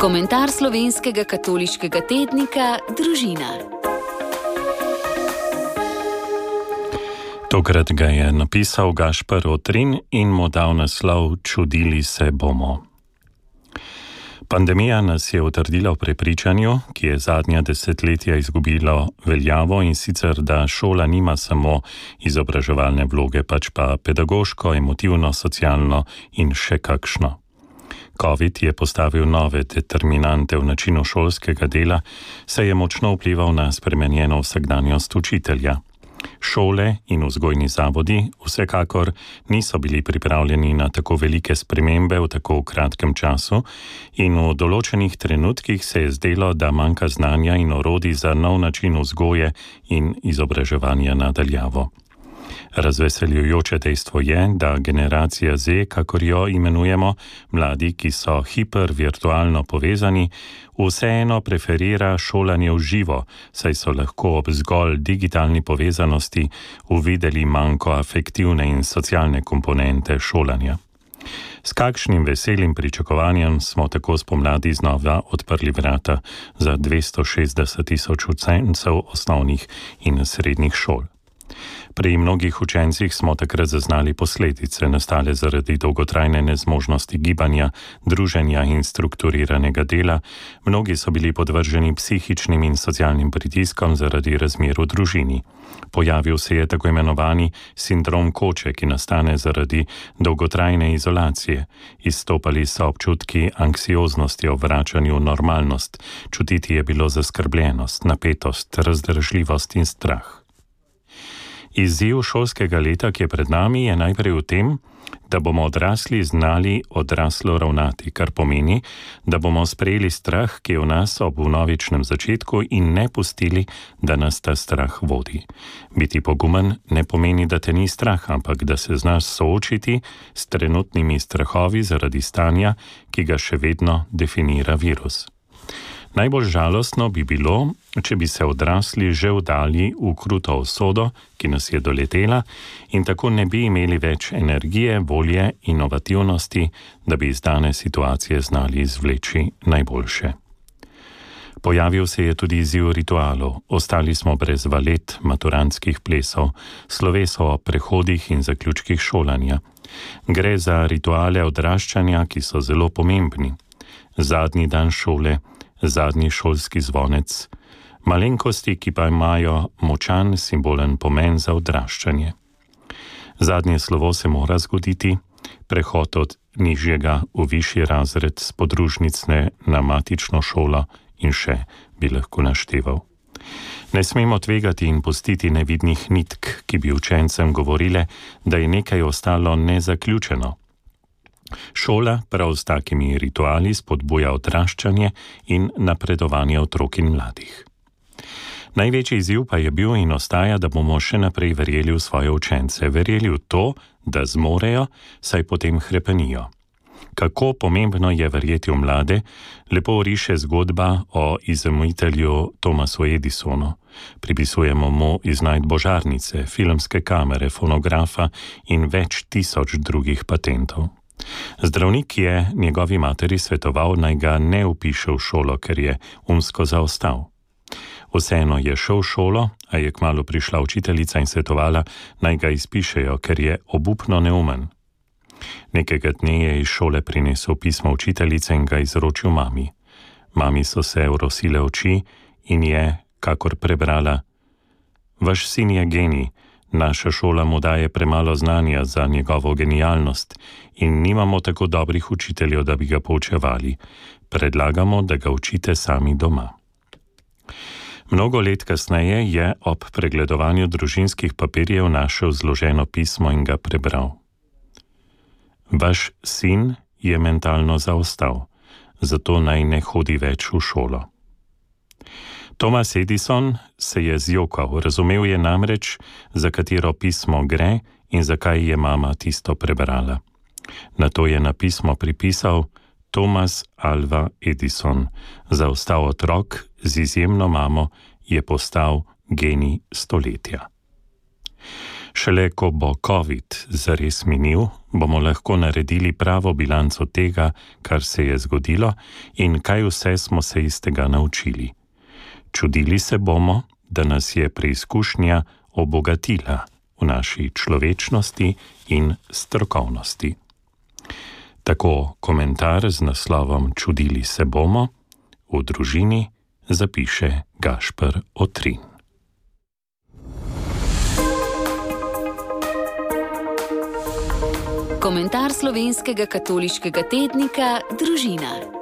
Komentar slovenskega katoliškega tednika Družina. Tokrat ga je napisal Gašper Otrin in mu dal naslov Čudili se bomo. Pandemija nas je utrdila v prepričanju, ki je zadnja desetletja izgubilo veljavo, in sicer, da šola nima samo izobraževalne vloge, pač pa pedagoško, emotivno, socialno in še kakšno. Covid je postavil nove determinante v načinu šolskega dela, saj je močno vplival na spremenjeno vsakdanjost učitelja. Šole in vzgojni zavodi vsekakor niso bili pripravljeni na tako velike spremembe v tako kratkem času in v določenih trenutkih se je zdelo, da manjka znanja in orodij za nov način vzgoje in izobraževanja na daljavo. Razveseljujoče dejstvo je, da generacija Z, kakor jo imenujemo, mladi, ki so hipervirtualno povezani, vseeno preferira šolanje v živo, saj so lahko ob zgolj digitalni povezanosti uvideli manjko afektivne in socialne komponente šolanja. S kakšnim veselim pričakovanjem smo tako spomladi znova odprli vrata za 260.000 učencev osnovnih in srednjih šol. Pri mnogih učencih smo takrat zaznali posledice, nastale zaradi dolgotrajne nezmožnosti gibanja, druženja in strukturiranega dela. Mnogi so bili podvrženi psihičnim in socialnim pritiskom zaradi razmer v družini. Pojavil se je tako imenovani sindrom koče, ki nastane zaradi dolgotrajne izolacije. Izstopali so občutki anksioznosti o vračanju v normalnost. Čutiti je bilo zaskrbljenost, napetost, razdržljivost in strah. Izziv šolskega leta, ki je pred nami, je najprej v tem, da bomo odrasli znali odraslo ravnati, kar pomeni, da bomo sprejeli strah, ki je v nas ob vnovičnem začetku, in ne pustili, da nas ta strah vodi. Biti pogumen ne pomeni, da te ni strah, ampak da se znaš soočiti s trenutnimi strahovi zaradi stanja, ki ga še vedno definira virus. Najbolj žalostno bi bilo, če bi se odrasli že vdali v kruto usodo, ki nas je doletela, in tako ne bi imeli več energije, volje, inovativnosti, da bi iz dane situacije znali izvleči najboljše. Pojavil se je tudi izziv ritualov. Ostali smo brez valet, maturantskih plesov, sloveso o prehodih in zaključkih šolanja. Gre za rituale odraščanja, ki so zelo pomembni. Zadnji dan šole, zadnji šolski zvonec, malenkosti, ki pa imajo močan simbolen pomen za odraščanje. Zadnje slovo se mora zgoditi, prehod od nižjega v višji razred s podružnice na matično šolo in še bi lahko našteval. Ne smemo tvegati in pustiti nevidnih nitk, ki bi učencem govorile, da je nekaj ostalo nezaključeno. Šola prav s takimi rituali spodbuja odraščanje in napredovanje otrok in mladih. Največji izziv pa je bil in ostaja, da bomo še naprej verjeli v svoje učence, verjeli v to, da zmorejo, saj potem hrepenijo. Kako pomembno je verjeti v mlade, lepo riše zgodba o izumitelju Thomasu Edisonu. Pripisujemo mu iznajdbo žarnice, filmske kamere, fonografa in več tisoč drugih patentov. Zdravnik je njegovi materi svetoval, naj ga ne vpiše v šolo, ker je umsko zaostal. Vseeno je šel v šolo, a je kmalu prišla učiteljica in svetovala, naj ga izpišejo, ker je obupno neumen. Nekega dne je iz šole prinesel pismo učiteljice in ga izročil mami. Mami so se orosile oči in je, kakor prebrala: Vaš sin je genij, naša šola mu daje premalo znanja za njegovo genialnost in nimamo tako dobrih učiteljev, da bi ga poučevali. Predlagamo, da ga učite sami doma. Mnogo let kasneje je ob pregledovanju družinskih papirjev našel zloženo pismo in ga prebral. Vaš sin je mentalno zaostal, zato naj ne hodi več v šolo. Thomas Edison se je zjokal, razumel je namreč, za katero pismo gre in zakaj je mama tisto prebrala. Nato je na pismo pripisal Thomas Alva Edison, zaostal otrok z izjemno mamo je postal genij stoletja. Šele ko bo COVID zares minil, bomo lahko naredili pravo bilanco tega, kar se je zgodilo in kaj vse smo se iz tega naučili. Čudili se bomo, da nas je preizkušnja obogatila v naši človečnosti in strokovnosti. Tako komentar z naslovom Čudili se bomo v družini zapiše Gašper Otrin. Komentar slovenskega katoliškega tednika Družina.